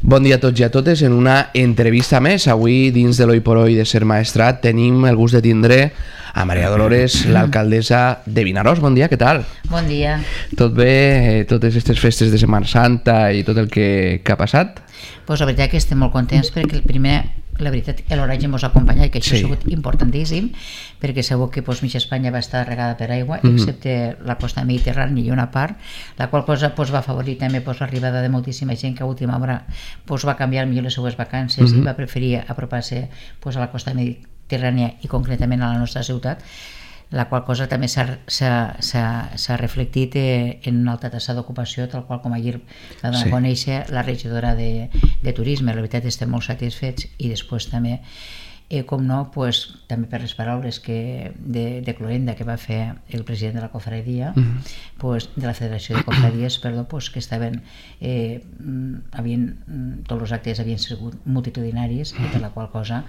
Bon dia a tots i a totes. En una entrevista més, avui dins de l'Oi por Hoy de Ser Maestrat tenim el gust de tindre a Maria Dolores, l'alcaldessa de Vinaròs. Bon dia, què tal? Bon dia. Tot bé? Totes aquestes festes de Setmana Santa i tot el que ha passat? Pues la veritat que estem molt contents perquè la veritat que l'oratge ens ha acompanyat, que això ha sigut importantíssim, perquè segur que mitja Espanya va estar regada per aigua, excepte la costa mediterrània i una part, la qual cosa va afavorir també l'arribada de moltíssima gent que a última hora va canviar millor les seues vacances i va preferir apropar-se a la costa mediterrània i concretament a la nostra ciutat, la qual cosa també s'ha reflectit en una alta taxa d'ocupació, tal qual com ahir va donar a conèixer la regidora de Turisme. La veritat estem molt satisfets i després també, com no, també per les paraules de cloenda que va fer el president de la cofradia, de la Federació de Cofradies, que estaven, tots els actes havien sigut multitudinaris i per la qual cosa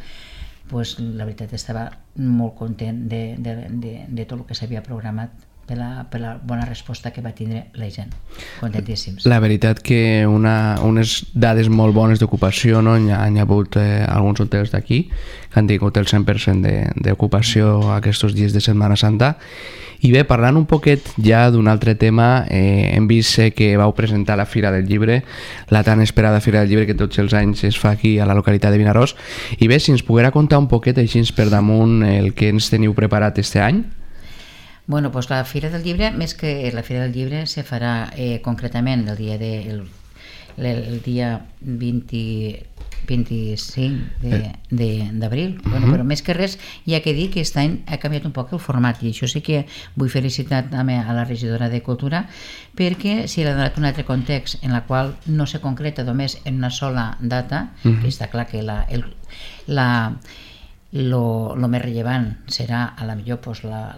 la veritat estava molt content de tot el que s'havia programat per la bona resposta que va tindre la gent. Contentíssims. La veritat que unes dades molt bones d'ocupació, no? Hi ha hagut alguns hotels d'aquí que han tingut el 100% d'ocupació aquests dies de Setmana Santa. I bé, parlant un poquet ja d'un altre tema, hem vist que vau presentar la Fira del Llibre, la tan esperada Fira del Llibre que tots els anys es fa aquí a la localitat de Vinaròs. I bé, si ens poguera contar un poquet així per damunt el que ens teniu preparat este any. Bueno, la Fira del Llibre, més que la Fira del Llibre, se farà concretament el dia 25 d'abril. Però més que res, hi ha que dir que aquest any ha canviat un poc el format, i això sí que vull felicitar també a la regidora de Cultura, perquè s'hi ha donat un altre context en el qual no se concreta només en una sola data, que està clar que lo més rellevant serà, a la millor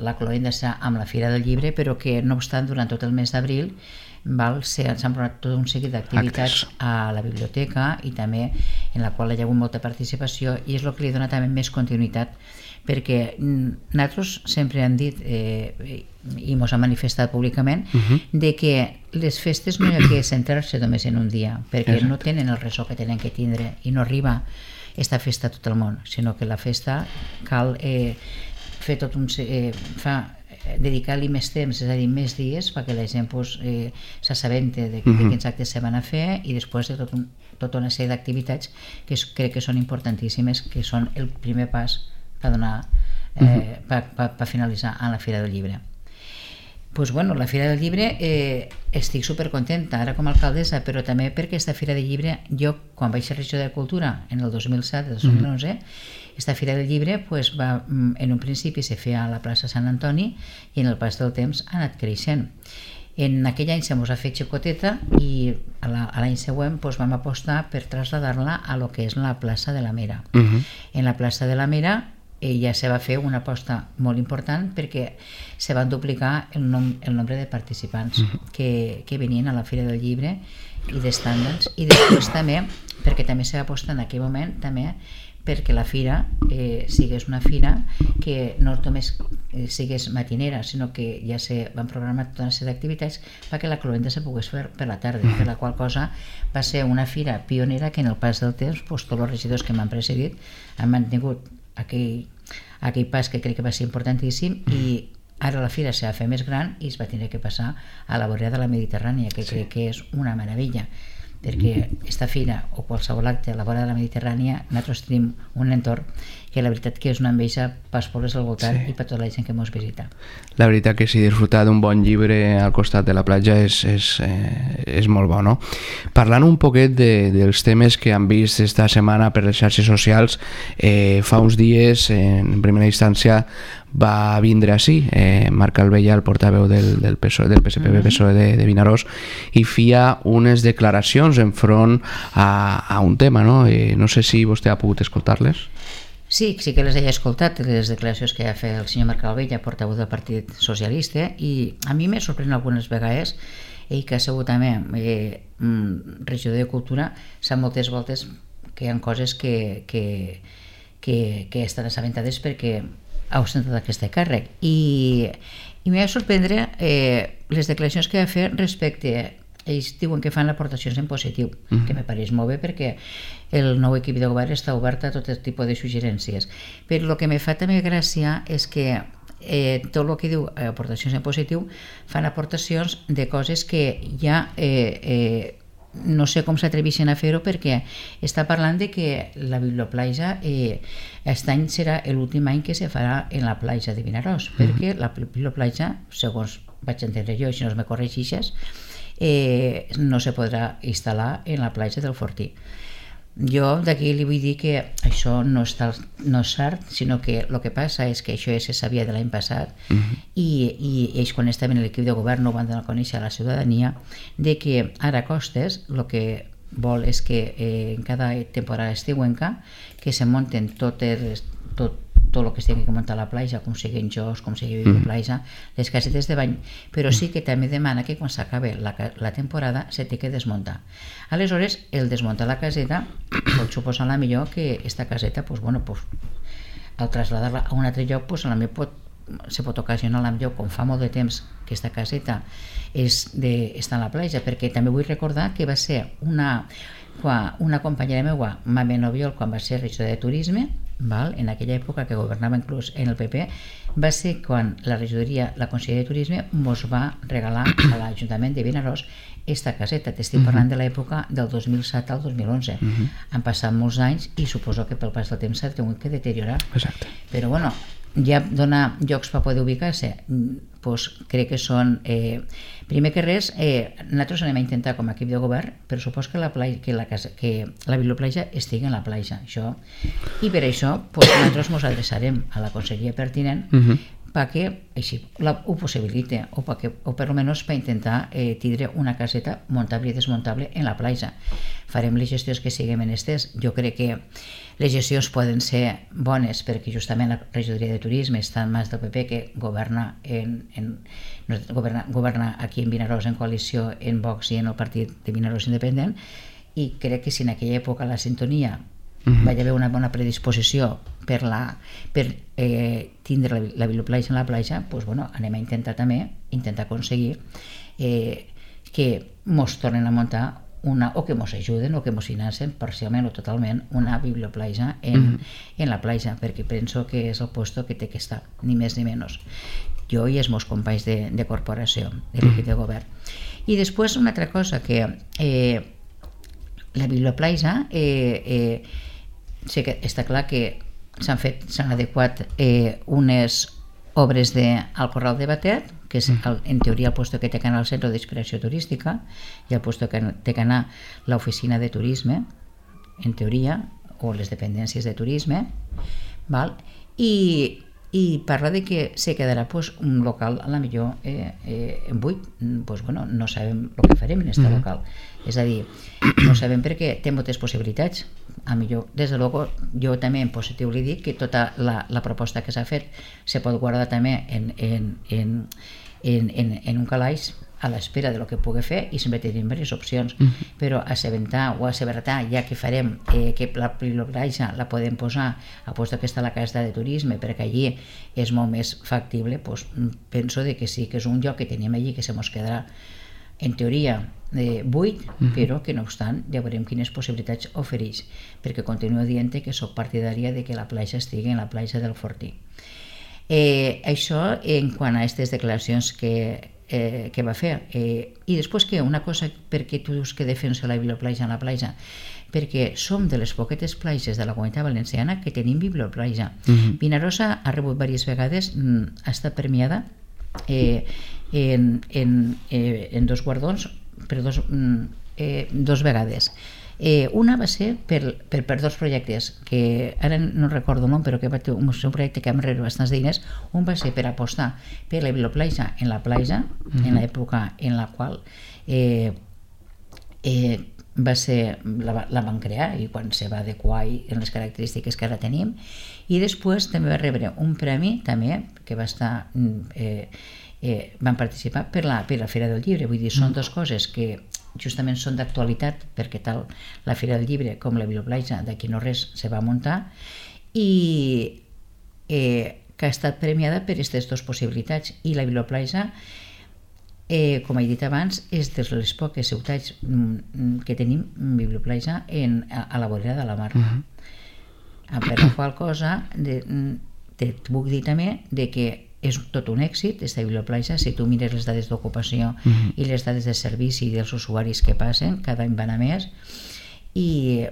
la cloenda serà amb la Fira del Llibre, però que no obstant durant tot el mes d'abril s'han programat tot un seguit d'activitats a la biblioteca i també en la qual hi ha hagut molta participació, i és el que li dona també més continuïtat, perquè nosaltres sempre hem dit i ens ha manifestat públicament de que les festes no hi ha que centrar-se només en un dia, perquè no tenen el ressò que tenen que tindre i no arriba esta festa a tot el món, sinó que la festa cal fer dedicar-li més temps, és a dir, més dies, perquè la gent s'assabente de quins actes se van a fer, i després de tota una sèrie d'activitats que crec que són importantíssimes, que són el primer pas per finalitzar a la Fira del Llibre. La Fira del Llibre estic supercontenta ara com a alcaldessa, però també perquè aquesta Fira del Llibre, jo quan vaig ser regidora de Cultura en el 2007-2011, aquesta Fira del Llibre en un principi se feia a la plaça Sant Antoni i en el pas del temps ha anat creixent. En aquell any se mos ha fet xicoteta i l'any següent vam apostar per traslladar-la a lo que és la plaça de la Mera. En la plaça de la Mera ja se va fer una aposta molt important perquè se van duplicar el nombre de participants que venien a la Fira del Llibre i d'estàndards, i després també perquè també se va apostar en aquell moment també perquè la fira sigués una fira que no només sigués matinera, sinó que ja se van programar tota una sèrie d'activitats perquè la cloenda se pogués fer per la tarda, per la qual cosa va ser una fira pionera que en el pas del temps tots els regidors que m'han precedit han mantingut aquell pas que crec que va ser importantíssim, i ara la fira s'ha de fer més gran i es va tenir que passar a la vorera de la Mediterrània, que crec que és una meravella, perquè aquesta fira o qualsevol acte a la vora de la Mediterrània nosaltres tenim un entorn que la veritat que és una enveja pels pobles del voltant i per tota la gent que ens visita. La veritat que sí, disfrutar d'un bon llibre al costat de la platja és molt bo, no? Parlant un poquet dels temes que han vist esta setmana per les xarxes socials, fa uns dies, en primera instància, va vindre així Marc Albella, el portaveu del PSPB-PSOE de Vinaròs, i feia unes declaracions enfront a un tema, no? No sé si vostè ha pogut escoltar-les. Sí que les he escoltat, les declaracions que ha fet el senyor Marc Albella, portaveu del Partit Socialista, i a mi m'he sorprès algunes vegades, ell que ha sigut també regidor de Cultura, sap moltes voltes que hi ha coses que estan assabentades perquè ha ostentat aquest càrrec, i m'ha de sorprendre les declaracions que va fer respecte ells diuen que fan aportacions en positiu, que me pareix molt bé perquè el nou equip de govern està obert a tot tipus de suggerències. Però el que me fa també gràcia és que tot el que diu aportacions en positiu fan aportacions de coses que ja no sé com s'atreveixen a fer-ho, perquè està parlant de que la biblioplatja aquest any serà l'últim any que se farà en la platja de Vinaròs, perquè la biblioplatja, segons vaig entendre jo, si no me corregixes, no se podrà instal·lar en la platja del Fortí. Jo d'aquí li vull dir que això no és cert, sinó que el que passa és que això ja se sabia de l'any passat i ells quan estaven en l'equip de govern no ho van donar a conèixer a la ciutadania, de que ara Costes el que vol és que en cada temporada estiuenca que se munten tot el que es tingui que muntar a la platja, com siguin jocs, com sigui biblioplatja, les casetes de bany, però sí que també demana que quan s'acabe la temporada se té que desmuntar. Aleshores, el desmuntar la caseta pot suposar a la millor que esta caseta, al traslladar-la a un altre lloc, a la millor se pot ocasionar a la millor, com fa molt de temps que esta caseta està a la platja, perquè també vull recordar que va ser una companyera meva, Mame Noviol, quan va ser regidora de turisme, en aquella època que governava inclús en el PP, va ser quan la regidoria, la Conselleria de Turisme mos va regalar a l'Ajuntament de Vinaròs esta caseta. T'estic parlant de l'època del 2007 al 2011. Han passat molts anys i suposo que pel pas del temps s'ha tingut que deteriorar. Exacte. Però bueno, ja donar llocs per poder ubicar-se, crec que són primer que res, nosaltres anem a intentar com a equip de govern, però supos que la biblioplatja estigui en la platja, això, i per això nosaltres ens adreçarem a la conselleria pertinent perquè així ho possibilite o per almenys per intentar tindre una caseta muntable i desmuntable en la platja. Farem les gestions que siguin menesters. Jo crec que les gestions poden ser bones perquè justament la regidoria de turisme està en mans del PP, que governa aquí en Vinaròs en coalició en Vox i en el partit de Vinaròs Independent, i crec que si en aquella època la sintonia va haver una bona predisposició per tindre la biblioplatja en la platja, anem a intentar aconseguir que mos tornen a muntar o que mos ajuden o que mos financen parcialment o totalment una biblioplatja en la platja, perquè penso que és el lloc que té que estar, ni més ni menys, jo i els meus companys de corporació, de l'equip de govern. I després una altra cosa, que la biblioplatja sí que està clar que s'han adequat unes obres al Corral de Batet, que és en teoria el lloc que té que anar al centre d'inspiració turística i el lloc que té que anar l'oficina de turisme, en teoria, o les dependències de turisme, i parla de que se quedarà un local a la millor buit. No sabem el que farem en aquest local, és a dir, no sabem perquè té moltes possibilitats. A millor, des de luego, jo també en positiu li dic que tota la proposta que s'ha fet se pot guardar també en un calaix a l'espera de lo que pugui fer, i sempre tenim diverses opcions, però assabentar ja que farem que la biblioplatja la podem posar a lloc que està la casa de turisme, perquè allí és molt més factible, penso que sí que és un lloc que tenim allí que se mos quedarà en teoria buit, però que no obstant ja veurem quines possibilitats ofereix, perquè continuo dient que soc partidària de que la platja estigui en la platja del Fortí. Això en quant a aquestes declaracions que va fer. I després que una cosa, perquè tu dius que defensa la biblioplatja en la platja, perquè som de les poquetes platges de la Comunitat Valenciana que tenim biblioplatja. Vinarosa ha rebut diverses vegades, ha estat premiada en dos guardons, per dos vegades. Una va ser per dos projectes que ara no recordo el nom, però que va ser un projecte que vam rebre bastants diners. Un va ser per apostar per la biblioplatja en la platja, en l'època en la qual la van crear i quan se va adequar en les característiques que ara tenim. I després també va rebre un premi també que va estar van participar per la Fira del Llibre. Vull dir, són dues coses que justament són d'actualitat, perquè tal la Fira del Llibre com la biblioplatja d'aquí no res se va muntar, i que ha estat premiada per aquestes dues possibilitats. I la biblioplatja com he dit abans, és de les poques ciutats que tenim biblioplatja a la vorera de la mar. Per la qual cosa te puc dir també que és tot un èxit aquesta biblioplatja. Si tu mires les dades d'ocupació i les dades de servici dels usuaris que passen, cada any van a més, i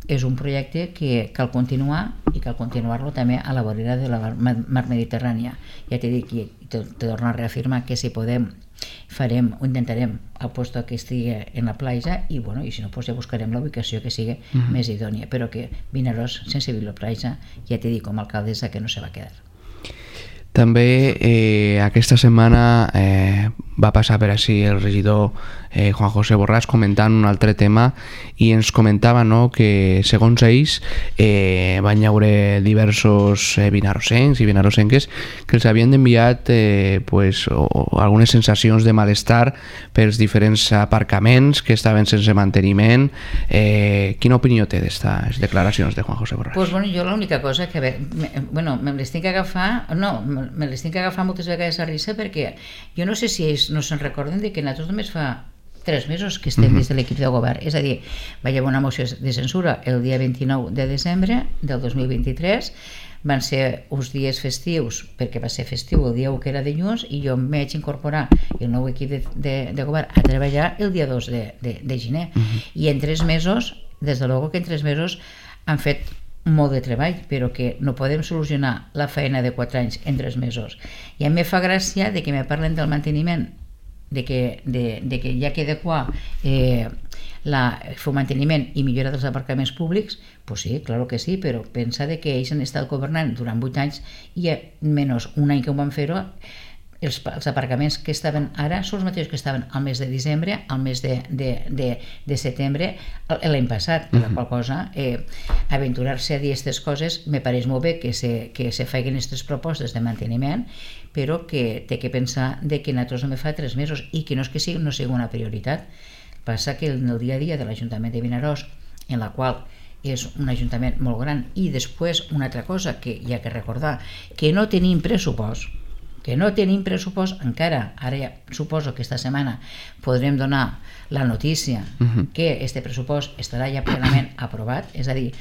és un projecte que cal continuar i cal continuar-lo també a la vorera de la mar Mediterrània. Ja t'he dit i te torno a reafirmar que si podem farem o intentarem el lloc que estigui en la platja i si no ja buscarem la ubicació que sigui més idònia, però que Vinaròs sense biblioplatja, ja t'he dit com a alcaldessa que no se va quedar. També aquesta setmana va passar per així el regidor Juan José Borràs comentant un altre tema i ens comentava que segons ells van haure diversos vinarossencs i vinarossenques que els havien enviat algunes sensacions de malestar pels diferents aparcaments que estaven sense manteniment. Quina opinió té d'aquestes declaracions de Juan José Borràs? Jo l'única cosa que me les tinc que agafar moltes vegades a risa perquè jo no sé si ells no se'n recorden que nosaltres només fa 3 mesos que estem des de l'equip de govern, és a dir, va haver una moció de censura el dia 29 de desembre del 2023, van ser uns dies festius perquè va ser festiu el dia 1 que era dilluns i jo em vaig incorporar el nou equip de govern a treballar el dia 2 de gener i en 3 mesos, des de luego que en 3 mesos han fet molt de treball, però que no podem solucionar la feina de 4 anys en 3 mesos. I a mi me fa gràcia de que me parlen del manteniment, de que hi ha que adequar el manteniment i millora dels aparcaments públics. Pues sí, claro que sí, però pensa que ells han estat governant durant 8 anys i menys un any que ho van fer-ho, els aparcaments que estaven ara són els mateixos que estaven al mes de desembre, al mes de setembre l'any passat, per la qual cosa aventurar-se a dir aquestes coses me pareix molt bé que se facin aquestes propostes de manteniment, però que té que pensar que nosaltres només fa 3 mesos i que no és que no sigui una prioritat. Passa que en el dia a dia de l'Ajuntament de Vinaròs, en la qual és un ajuntament molt gran, i després una altra cosa que hi ha que recordar, que no tenim pressupost encara. Ara ja suposo que esta setmana podrem donar la notícia que este pressupost estarà ja plenament aprovat, és a dir,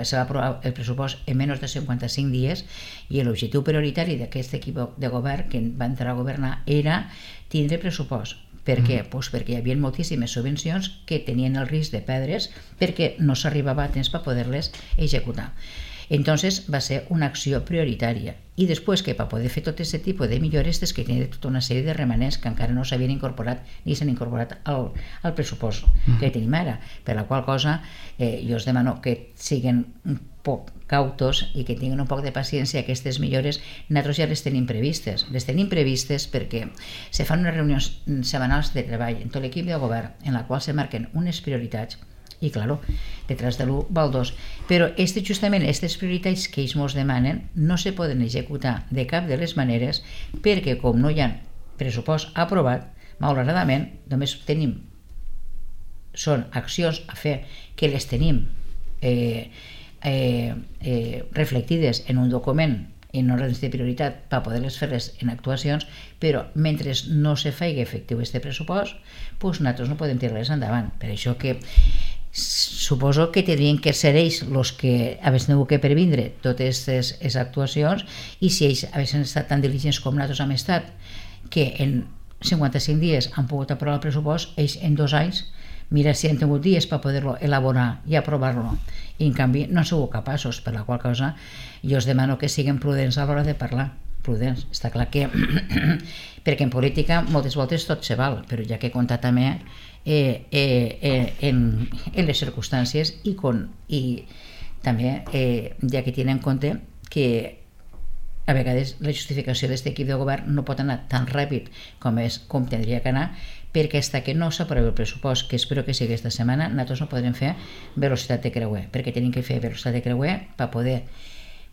se va aprovar el pressupost en menys de 55 dies i l'objectiu prioritari d'aquest equip de govern que va entrar a governar era tindre pressupost. Per què? Pues perquè hi havia moltíssimes subvencions que tenien el risc de perdre's perquè no s'arribava a temps per poder-les executar. Entonces va ser una acció prioritària i després que per poder fer tot aquest tipus de millores és que tenia tota una sèrie de remanents que encara no s'havien incorporat ni s'han incorporat al pressupost que tenim ara, per la qual cosa jo us demano que siguin un poc cautos i que tinguin un poc de paciència. Aquestes millores nosaltres ja les tenim previstes perquè se fan unes reunions setmanals de treball en tot l'equip de govern en la qual se marquen unes prioritats i, claro, detrás de l'1 va el 2. Però justament aquestes prioritats que ells ens demanen no se poden executar de cap de les maneres perquè com no hi ha pressupost aprovat, malauradament només tenim són accions a fer que les tenim reflectides en un document en ordres de prioritat per poder-les fer-les en actuacions, però mentre no se faci efectiu aquest pressupost, doncs nosaltres no podem tirar-les endavant. Per això que suposo que tindrien que ser ells els que haguessin tingut que previndre totes aquestes actuacions i si ells haguessin estat tan diligents com nosaltres hem estat, que en 55 dies han pogut aprovar el pressupost, ells en 2 anys mira si han tingut dies per poder-lo elaborar i aprovar-lo i en canvi no han sigut capaços, per la qual cosa jo us demano que siguin prudents a l'hora de parlar. Prudents, està clar que perquè en política moltes voltes tot se val, però ja que compta també en les circumstàncies i també ja que tenen en compte que a vegades la justificació d'aquest equip de govern no pot anar tan ràpid com tindria que anar, perquè fins que no s'aprovi el pressupost, que espero que sigui aquesta setmana, nosaltres no podrem fer velocitat de creuer, perquè tenim que fer velocitat de creuer per poder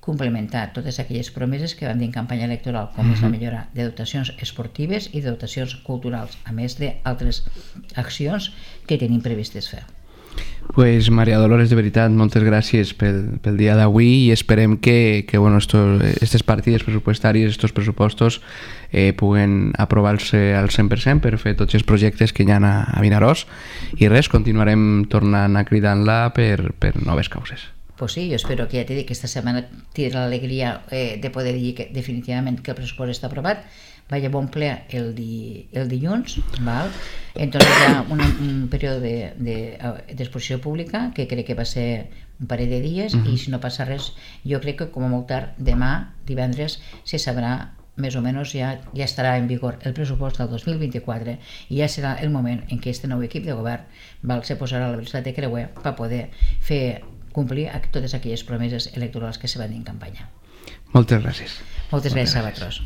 complementar totes aquelles promeses que vam dir en campanya electoral, com és la millora de dotacions esportives i de dotacions culturals, a més d'altres accions que tenim previstes fer. Pues Maria Dolores, de veritat, moltes gràcies pel dia d'avui i esperem que bueno, aquestes partides pressupostàries, estos pressupostos puguen aprovar-se al 100% per fer tots els projectes que hi ha a Vinaròs i res, continuarem tornant a cridar-la per noves causes. Pues sí, yo espero que, ya te digo, que esta semana tindré l'alegria de poder dir que definitivament que el pressupost està aprovat. Vaya bon ple el dilluns, val? Entonces hi ha un període d'exposició pública que crec que va ser un parell de dies i si no passa res, jo crec que com a molt tard demà, divendres, se sabrà més o menys ja estarà en vigor el pressupost del 2024 i ja serà el moment en què aquest nou equip de govern se posarà a la velocitat de creuer per poder fer complir totes aquelles promeses electorals que se van dir en campanya. Moltes gràcies. Moltes gràcies a vosaltres.